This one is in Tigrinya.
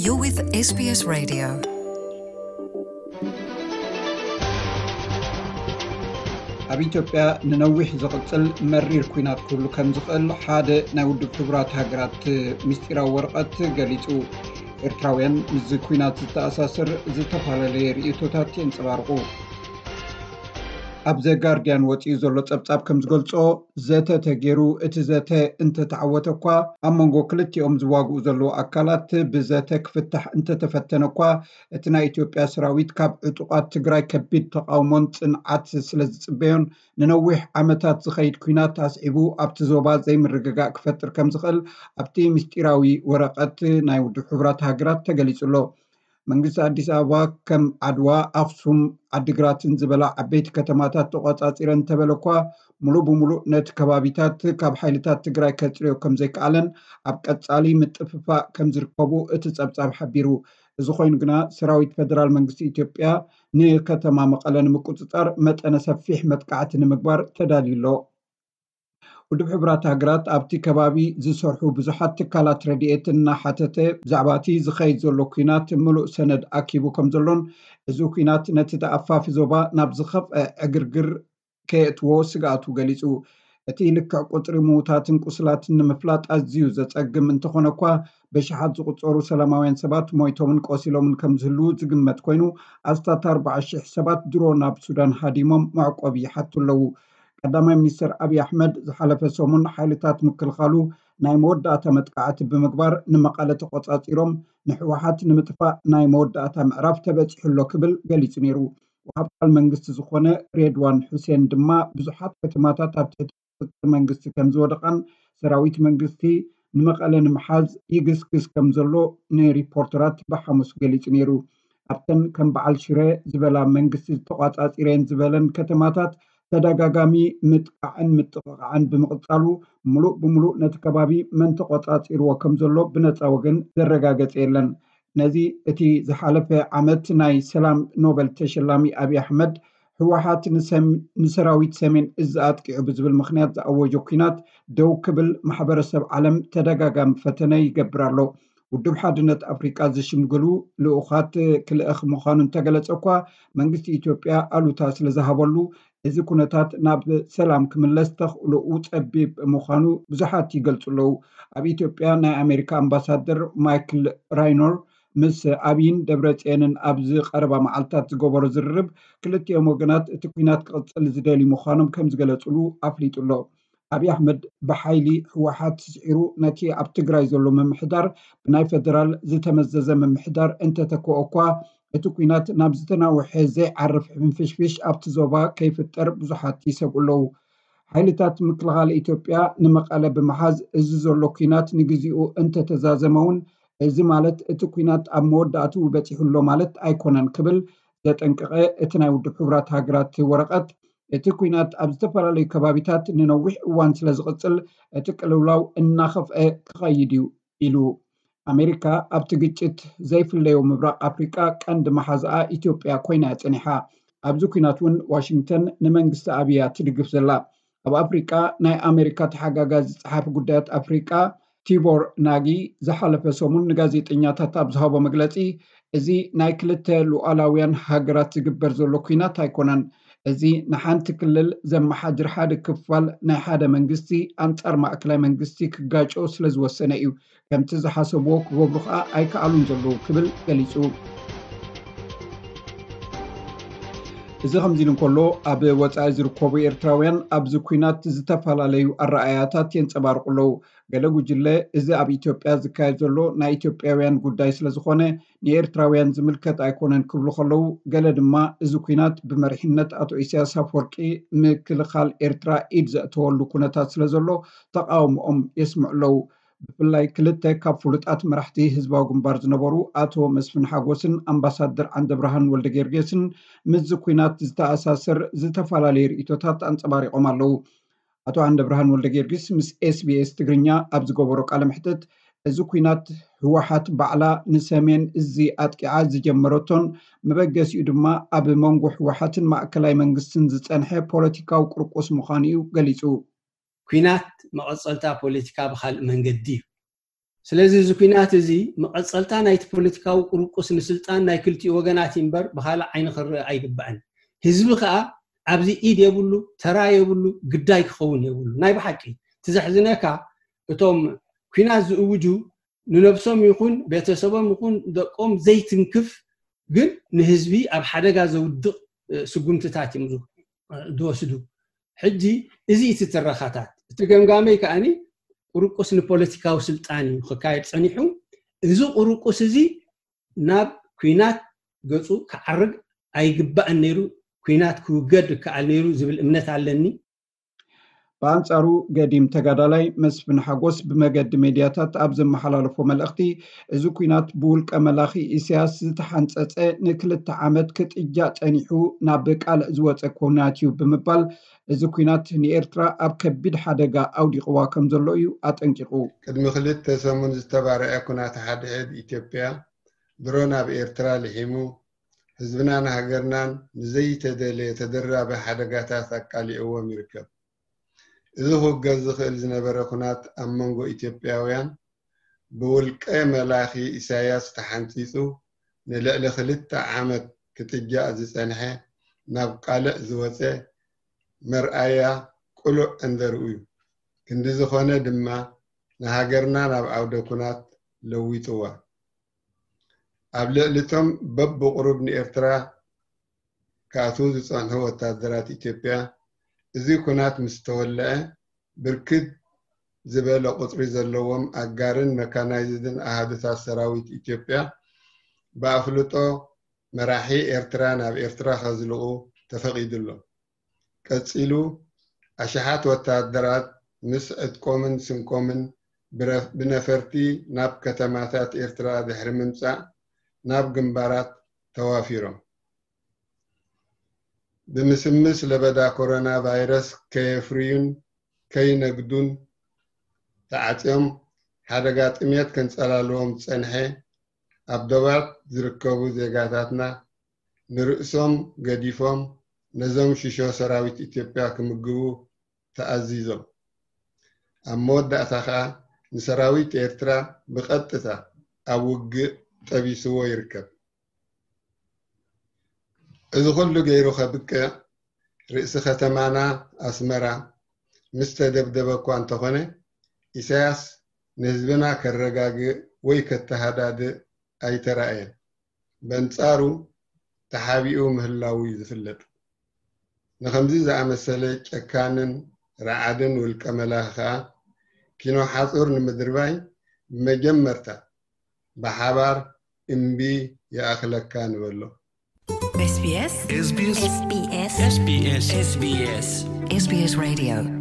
You're with S B S Radio. ኣብ ኢትዮጵያ ንነዊሕ ዝቕጽል መሪር ኲናት ክህሉ ከም ዝኽእል ሓደ ናይ ውድብ ሕቡራት ሃገራት ምስጢራዊ ወረቐት ገሊጹ። ኤርትራውያን ምስዚ ኲናት ዝተኣሳሰር ዝተፈላለየ ርእይቶታት የንጸባርቑ። ኣብ ዘ ጋርዲያን ወጺኡ ዘሎ ጸብጻብ ከም ዝገልጾ፣ ዘተ ተገይሩ፣ እቲ ዘተ እንተተዓወተ እኳ፣ ኣብ መንጎ ክልቲኦም ዝዋግኡ ዘለዉ ኣካላት ብዘተ ክፍታሕ እንተተፈተነ እኳ፣ እቲ ናይ ኢትዮጵያ ሰራዊት ካብ ዕጡቓት ትግራይ ከቢድ ተቓውሞን ጽንዓት ስለ ዝጽበዮን፣ ንነዊሕ ዓመታት ዝኸይድ ኲናት ኣስዒቡ ኣብቲ ዞባ ዘይምርግጋእ ክፈጥር ከም ዝኽእል ኣብቲ ምስጢራዊ ወረቐት ናይ ውድብ ሕቡራት ሃገራት ተገሊጹ ኣሎ። መንግስቲ ኣዲስ ኣበባ ከም ዓድዋ፣ ኣኽሱም፣ ዓዲግራትን ዝበላ ዓበይቲ ከተማታት ተቖጻጺረ እንተበለ እኳ፣ ሙሉእ ብሙሉእ ነቲ ከባቢታት ካብ ሓይልታት ትግራይ ከጽርዮ ከም ዘይከኣለን ኣብ ቀጻሊ ምጥፍፋእ ከም ዝርከቡ እቲ ጸብጻብ ሓቢሩ። እዚ ኮይኑ ግና፣ ሰራዊት ፈደራል መንግስቲ ኢትዮጵያ ንከተማ መቐለ ንምቁጽጻር መጠነ ሰፊሕ መጥቃዕቲ ንምግባር ተዳልዩ ኣሎ። ውድብ ሕቡራት ሃገራት ኣብቲ ከባቢ ዝሰርሑ ብዙሓት ትካላት ረድኤት እናሓተተ፣ ብዛዕባ እቲ ዝኸይድ ዘሎ ኲናት ምሉእ ሰነድ ኣኪቡ ከም ዘሎን፣ እዚ ኲናት ነቲ ተኣፋፊ ዞባ ናብ ዝኸፍአ ዕግርግር ከየእትዎ ስግኣቱ ገሊጹ። እቲ ልክዕ ቁጽሪ ምዉታትን ቁስላትን ንምፍላጥ ኣዝዩ ዘጸግም እንተኾነ እኳ፣ ብሽሓት ዝቑጸሩ ሰላማውያን ሰባት ሞይቶምን ቆሲሎምን ከም ዝህልዉ ዝግመት ኮይኑ፣ ኣስታት ኣርባዓ ሽሕ ሰባት ድሮ ናብ ሱዳን ሃዲሞም መዕቆቢ ይሓቱ ኣለዉ። ቀዳማይ ሚኒስትር ኣብይ ኣሕመድ ዝሓለፈ ሰሙን ሓይልታት ምክልኻሉ ናይ መወዳእታ መጥቃዕቲ ብምግባር ንመቐለ ተቖጻጺሮም፣ ንህወሓት ንምጥፋእ ናይ መወዳእታ ምዕራፍ ተበጺሑ ኣሎ ክብል ገሊጹ ነይሩ። ወሃብ ቃል መንግስቲ ዝኾነ ሬድዋን ሑሴን ድማ፣ ብዙሓት ከተማታት ኣብ ትሕቲ ቁጽጽር መንግስቲ ከም ዝወደቓን ሰራዊት መንግስቲ ንመቐለ ንምሓዝ ይግስግስ ከም ዘሎ ንሪፖርተራት ብሓሙስ ገሊጹ ነይሩ። ኣብተን ከም በዓል ሽረ ዝበላ መንግስቲ ዝተቋጻጺረን ዝበለን ከተማታት ተደጋጋሚ ምጥቃዕን ምጥቕቓዕን ብምቕጻሉ፣ ምሉእ ብምሉእ ነቲ ከባቢ መን ተቖጻጺርዎ ከም ዘሎ ብነጻ ወገን ዘረጋገጸ የለን። ነዚ እቲ ዝሓለፈ ዓመት ናይ ሰላም ኖበል ተሸላሚ ኣብይ ኣሕመድ፣ ህወሓት ንሰም-፣ ንሰራዊት ሰሜን እዝ ኣጥቂዑ ብዝብል ምኽንያት ዝኣወጆ ኲናት ደው ክብል ማሕበረሰብ ዓለም ተደጋጋሚ ፈተነ ይገብር ኣሎ። ውድብ ሓድነት ኣፍሪቃ ዝሽምግሉ ልኡኻት ክልእኽ ምዃኑ እንተገለጸ እኳ፣ መንግስቲ ኢትዮጵያ ኣሉታ ስለ ዝሃበሉ፣ እዚ ኩነታት ናብ ሰላም ክምለስ ተኽእሎኡ ጸቢብ ምዃኑ ብዙሓት ይገልጹ ኣለዉ። ኣብ ኢትዮጵያ ናይ ኣሜሪካ ኣምባሳደር ማይክል ራይኖር ምስ ኣብይን ደብረጽዮንን ኣብዚ ቀረባ መዓልታት ዝገበሮ ዝርርብ፣ ክልቲኦም ወገናት እቲ ኲናት ክቕጽል ዝደልዩ ምዃኖም ከም ዝገለጹሉ ኣፍሊጡ ኣሎ። ኣብይ ኣሕመድ ብሓይሊ ህወሓት ስዒሩ ነቲ ኣብ ትግራይ ዘሎ ምምሕዳር ብናይ ፈደራል ዝተመዘዘ ምምሕዳር እንተተክኦ እኳ፣ እቲ ኲናት ናብ ዝተናውሐ ዘይዓርፍ ሕንፍሽፍሽ ኣብቲ ዞባ ከይፍጠር ብዙሓት ይሰግኡ ኣለዉ። ሓይልታት ምክልኻል ኢትዮጵያ ንመቐለ ብምሓዝ፣ እዚ ዘሎ ኲናት ንግዚኡ እንተተዛዘመ እውን፣ እዚ ማለት እቲ ኲናት ኣብ መወዳእትኡ በጺሑ ኣሎ ማለት ኣይኮነን ክብል ዘጠንቀቐ እቲ ናይ ውድብ ሕቡራት ሃገራት ወረቐት፣ እቲ ኲናት ኣብ ዝተፈላለዩ ከባቢታት ንነዊሕ እዋን ስለ ዝቕጽል፣ እቲ ቅልውላው እናኸፍአ ክኸይድ እዩ ኢሉ። ኣሜሪካ ኣብቲ ግጭት ዘይፍለዮ ምብራቕ ኣፍሪቃ ቀንዲ መሓዛኣ ኢትዮጵያ ኮይና እያ ጸኒሓ። ኣብዚ ኲናት እውን ዋሽንግተን ንመንግስቲ ኣብይ እያ ትድግፍ ዘላ። ኣብ ኣፍሪቃ ናይ ኣሜሪካ ተሓጋጋዚ ጸሓፊ ጉዳያት ኣፍሪቃ ቲቦር ናጊ ዝሓለፈ ሰሙን ንጋዜጠኛታት ኣብ ዝሃቦ መግለጺ፣ እዚ ናይ ክልተ ሉዓላውያን ሃገራት ዝግበር ዘሎ ኲናት ኣይኮነን። እዚ ንሓንቲ ክልል ዘመሓድር ሓደ ክፋል ናይ ሓደ መንግስቲ ኣንጻር ማእከላይ መንግስቲ ክጋጮ ስለ ዝወሰነ እዩ። ከምቲ ዝሓሰብዎ ክገብሩ ከኣ ኣይከኣሉን ዘለዉ ክብል ገሊጹ። እዚ ከምዚ ኢሉ እንከሎ፣ ኣብ ወጻኢ ዝርከቡ ኤርትራውያን ኣብዚ ኲናት ዝተፈላለዩ ኣረኣእያታት የንጸባርቑ ኣለዉ። ገለ ጉጅለ፣ እዚ ኣብ ኢትዮጵያ ዝካየድ ዘሎ ናይ ኢትዮጵያውያን ጉዳይ ስለ ዝኾነ፣ ንኤርትራውያን ዝምልከት ኣይኮነን ክብሉ ከለዉ፣ ገለ ድማ እዚ ኲናት ብመሪሕነት ኣቶ ኢሳያስ ኣፈወርቂ ምክልኻል ኤርትራ ኢድ ዘእተወሉ ኩነታት ስለ ዘሎ ተቓውሞኦም የስምዑ ኣለዉ። ብፍላይ ክልተ ካብ ፍሉጣት መራሕቲ ህዝባዊ ግንባር ዝነበሩ ኣቶ መስፍን ሓጎስን ኣምባሳደር ዓንደብርሃን ወልደጊዮርጊስን ምስዚ ኲናት ዝተኣሳሰር ዝተፈላለዩ ርእይቶታት ኣንጸባሪቖም ኣለዉ። ኣቶ ዓንደብርሃን ወልደጊዮርጊስ ምስ ኤስቢኤስ ትግርኛ ኣብ ዝገበሮ ቃለ መሕትት፣ እዚ ኲናት ህወሓት ባዕላ ንሰሜን እዚ ኣጥቂዓ ዝጀመረቶን መበገሲኡ ድማ ኣብ መንጎ ህወሓትን ማእከላይ መንግስትን ዝጸንሐ ፖለቲካዊ ቁርቁስ ምዃኑ እዩ ገሊጹ። ኲናት መቐጸልታ ፖለቲካ ብኻልእ መንገዲ እዩ። ስለዚ እዚ ኩናት እዚ መቐጸልታ ናይቲ ፖለቲካዊ ቁርቁስ ንስልጣን ናይ ክልቲኡ ወገናት እምበር ብኻልእ ዓይኒ ክረአ ኣይግባእን። ህዝቢ ከኣ ኣብዚ ኢድ የብሉ፣ ተራ የብሉ፣ ግዳይ ክኸውን የብሉ። ናይ ብሓቂ እቲ ዘሕዝነካ እቶም ኩናት ዝእውጁ ንነብሶም ይኹን ቤተሰቦም ይኹን ደቆም ዘይትንክፍ ግን ንህዝቢ ኣብ ሓደጋ ዘውድቕ ስጉምትታት እዮም ዝወስዱ። ሕጂ እዚ እቲ ትረኻታት እቲ ገምጋመይ ከኣኒ ቁርቁስ ንፖለቲካዊ ስልጣን እዩ ክካየድ ጸኒሑ። እዚ ቁርቁስ እዚ ናብ ኩናት ገጹ ክዓርግ ኣይግባእን ነይሩ፣ ኩናት ክውገድ ይከኣል ነይሩ ዝብል እምነት ኣለኒ። ብኣንጻሩ ገዲም ተጋዳላይ መስፍን ሓጎስ ብመገዲ ሜድያታት ኣብ ዘመሓላለፎ መልእኽቲ፣ እዚ ኩናት ብውልቀ መላኺ ኢሳያስ ዝተሓንጸጸ ንክልተ ዓመት ክጥጃ ጸኒሑ ናብ ቃልዕ ዝወጸ ኩናት እዩ ብምባል፣ እዚ ኩናት ንኤርትራ ኣብ ከቢድ ሓደጋ ኣውዲቕዋ ከም ዘሎ እዩ ኣጠንቂቑ። ቅድሚ ክልተ ሰሙን ዝተባረዐ ኩናት ሓድሕድ ኢትዮጵያ ድሮ ናብ ኤርትራ ልሒሙ ህዝብናን ሃገርናን ንዘይተደለየ ተደራቢ ሓደጋታት ኣቃሊዕዎም ይርከብ። እዚ ክውገዝ ዝኽእል ዝነበረ ኩናት ኣብ መንጎ ኢትዮጵያውያን ብውልቀ መላኺ ኢሳያስ ተሓንጺጹ ንልዕሊ ክልተ ዓመት ክትጃእ ዝጸንሐ ናብ ቃልዕ ዝወጸ መርኣያ ቅሉዕ እንደርኡ እዩ። ክንዲ ዝኾነ ድማ ንሃገርና ናብ ዓውደ ኩናት ለዊጥዋ። ኣብ ልዕሊ እቶም በብቑሩብ ንኤርትራ ክኣትዉ ዝጸንሑ ወታደራት ኢትዮጵያ፣ እዚ ኩናት ምስ ተወልዐ፣ ብርክት ዝበለ ቁጽሪ ዘለዎም ኣጋርን መካናይዝድን ኣሃዱታት ሰራዊት ኢትዮጵያ ብኣፍልጦ መራሒ ኤርትራ ናብ ኤርትራ ከዝልቑ ተፈቒዱሎም። ቀጺሉ፣ ኣሽሓት ወታደራት ምስ ዕጥቆምን ስንቆምን ብነፈርቲ ናብ ከተማታት ኤርትራ ድሕሪ ምምጻእ ናብ ግንባራት ተዋፊሮም። ብምስምስ ለበዳ ኮሮና ቫይረስ ከየፍርዩን ከይነግዱን ተዓጽዮም ሓደጋ ጥሜት ከንጸላልዎም ዝጸንሐ ኣብ ዶባት ዝርከቡ ዜጋታትና ንርእሶም ገዲፎም ነዞም ሽሾ ሰራዊት ኢትዮጵያ ክምግቡ ተኣዚዞም። ኣብ መወዳእታ ከኣ ንሰራዊት ኤርትራ ብቐጥታ ኣብ ውግእ ጠቢስዎ ይርከብ። እዚ ኩሉ ገይሩ ከብቅዕ ርእሲ ከተማና ኣስመራ ምስ ተደብደበ እኳ እንተኾነ ኢሳያስ ንህዝብና ከረጋግእ ወይ ከተሃዳድእ ኣይተራእየን። በንጻሩ ተሓቢኡ ምህላዉ እዩ ዝፍለጥ። ንኸምዚ ዝኣመሰለ ጨካንን ረዓድን ውልቀ መላኺ ከኣ ኪኖ ሓጹር ንምድርባይ ብመጀመርታ ብሓባር እምቢ ይኣኽለካ ንበሎ። SBS SBS SBS SBS SBS Radio